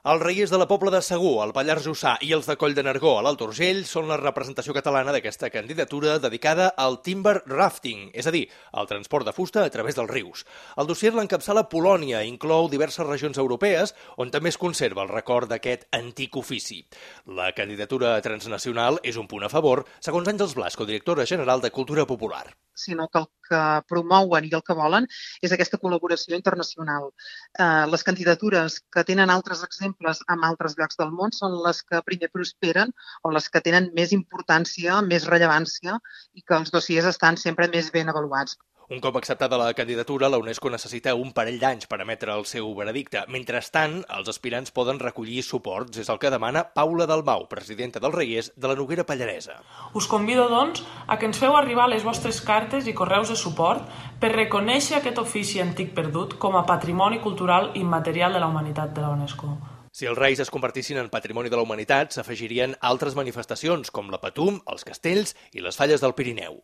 Els Reiers de la Pobla de Segur, al Pallars Jussà, i els de Coll de Nargó, a l'Alt Urgell, són la representació catalana d'aquesta candidatura dedicada al timber rafting, és a dir, al transport de fusta a través dels rius. El dossier l'encapçala Polònia, inclou diverses regions europees on també es conserva el record d'aquest antic ofici. La candidatura transnacional és un punt a favor, segons Àngels Blasco, directora general de Cultura Popular. Sinó que el que promouen i el que volen és aquesta col·laboració internacional. Les candidatures que tenen altres exemples en altres llocs del món són les que primer prosperen o les que tenen més importància, més rellevància i que els dossiers estan sempre més ben avaluats. Un cop acceptada la candidatura, la UNESCO necessita un parell d'anys per emetre el seu veredicte. Mentrestant, els aspirants poden recollir suports. És el que demana Paula Dalmau, presidenta dels Reiers de la Noguera Pallaresa. Us convido, doncs, a que ens feu arribar les vostres cartes i correus de suport per reconèixer aquest ofici antic perdut com a patrimoni cultural immaterial de la humanitat de la UNESCO. Si els Reis es convertissin en patrimoni de la humanitat, s'afegirien altres manifestacions, com la Patum, els castells i les falles del Pirineu.